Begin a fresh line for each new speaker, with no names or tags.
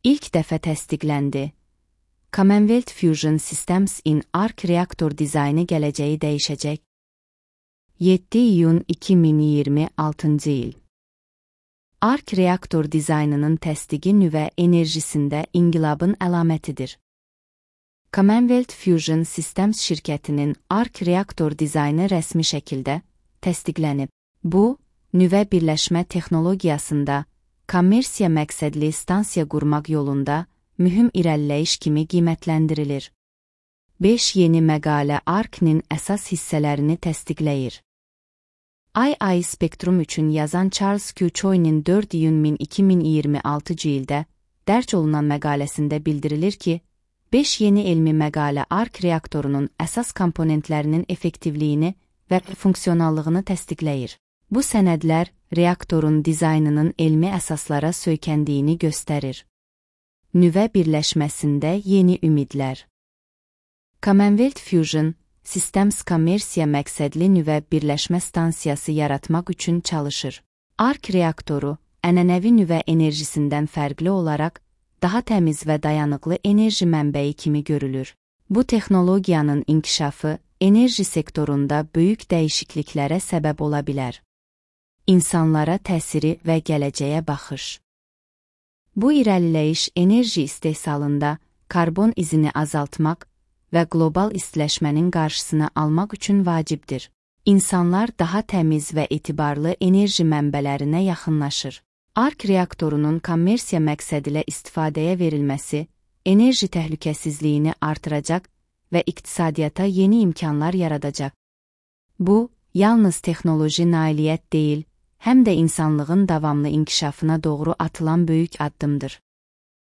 İlk dəfə təsdiqləndi. Commonwealth Fusion Systems in Arc reaktor dizaynı gələcəyi dəyişəcək. 7 iyun 2026 il. Arc reaktor dizaynının təsdiqi nüvə enerjisində inqilabın əlamətidir. Commonwealth Fusion Systems şirkətinin Arc reaktor dizaynı rəsmi şəkildə təsdiqlənib. Bu, nüvə birləşmə texnologiyasında kommersiya məqsədli stansiya qurmaq yolunda mühüm irəliləyiş kimi qiymətləndirilir. 5 yeni məqalə Arc-nin əsas hissələrini təsdiqləyir. II Spectrum üçün yazan Charles Q. Choi'nin 4 iyun 2026 ildə dərc olunan məqaləsində bildirilir ki, 5 yeni elmi məqalə Arc reaktorunun əsas komponentlərinin effektivliyini və funksionallığını təsdiqləyir. Bu sənədlər reaktorun dizaynının elmi əsaslara söykəndiyini göstərir. Nüvə birləşməsində yeni ümidlər. Commonwealth Fusion Systems kommersiya məqsədli nüvə birləşmə stansiyası yaratmaq üçün çalışır. Arc reaktoru, ənənəvi nüvə enerjisindən fərqli olaraq, daha təmiz və dayanıqlı enerji mənbəyi kimi görülür. Bu texnologiyanın inkişafı enerji sektorunda böyük dəyişikliklərə səbəb ola bilər. İnsanlara təsiri və gələcəyə baxış. Bu irəliləyiş enerji istehsalında karbon izini azaltmaq və qlobal istiləşmənin qarşısını almaq üçün vacibdir. İnsanlar daha təmiz və etibarlı enerji mənbələrinə yaxınlaşır. Arc reaktorunun kommersiya məqsədilə istifadəyə verilməsi enerji təhlükəsizliyini artıracaq və iqtisadiyyata yeni imkanlar yaradacaq. Bu, yalnız texnoloji nailiyyət deyil, həm də insanlığın davamlı inkişafına doğru atılan böyük addımdır.